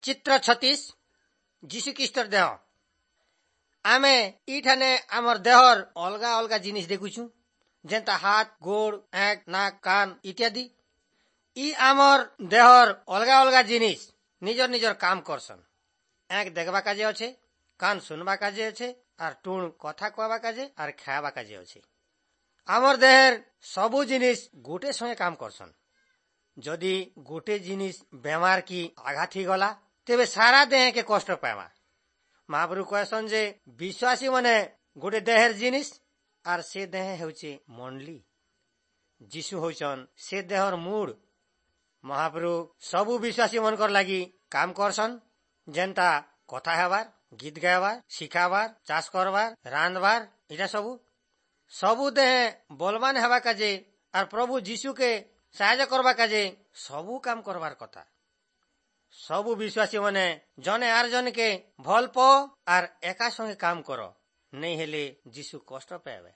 ଚିତ୍ର 36, ଯୀଶୁଖ୍ରୀଷ୍ଟର ଦେହ। ଆମେ ଇଠାନେ ଆମର ଦେହର ଅଲଗା ଅଲଗା ଜିନିଷ ଦେଖୁଛୁ, ଯେନ୍ତା ହାତ, ଗୋଡ଼, ଆଁଖ, ନାକ, କାନ ଇତ୍ୟାଦି। ଇ ଆମର ଦେହର ଅଲଗା ଅଲଗା ଜିନିଷ ନିଜର ନିଜର କାମ କରସନ୍। ଆଁଖ ଦେଖବା କାଜେ ଅଛେ, କାନ ଶୁନବା କାଜେ ଅଛେ, ଆର୍ ଟୁଣ କଥା କହବା କାଜେ ଆର୍ ଖାଇବା କାଜେ ଅଛେ। ଆମର ଦେହେର ସବୁ ଜିନିଷ ଗୋଟେ ସଙ୍ଗେ କାମ କରସନ୍। ଯଦି ଗୋଟେ ଜିନିଷ ବେମାର କି ଆଘାତ ହେଇଗଲା, ତେବେ ସାରା ଦେହକେ କଷ୍ଟ ପାଇବା। ମହାପ୍ରଭୁ କହେସନ୍ ଯେ ବିଶ୍ୱାସୀ ମାନେ ଗୋଟେ ଦେହେର ଜିନିଷ, ଆର୍ ସେ ଦେହ ହେଉଛି ମଣ୍ଡଳୀ। ଯୀଶୁ ହଉଛନ୍ ସେ ଦେହର ମୂଳ। ମହାପ୍ରଭୁ ସବୁ ବିଶ୍ୱାସୀ ମାନଙ୍କର ଲାଗି କାମ କରସନ୍, ଯେନ୍ତା କଥା ହେବାର, ଗୀତ ଗାଇବାର, ଶିଖାବାର, ଚାଷ କରବାର, ରାନ୍ଧବାର, ଏଇଟା ସବୁ। ସବୁ ଦେହ ବଲବାନ ହେବା କାଜେ ଆର୍ ପ୍ରଭୁ ଯୀଶୁକେ ସାହାଯ୍ୟ କରବା କାଜେ ସବୁ କାମ କରବାର କଥା। ସବୁ ବିଶ୍ୱାସୀ ମାନେ ଜଣେ ଆର୍ ଜଣକେ ଭଲ ପାଅ ଆର୍ ଏକା ସଙ୍ଗେ କାମ କର, ନେଇ ହେଲେ ଯୀଶୁ କଷ୍ଟ ପାଇବେ।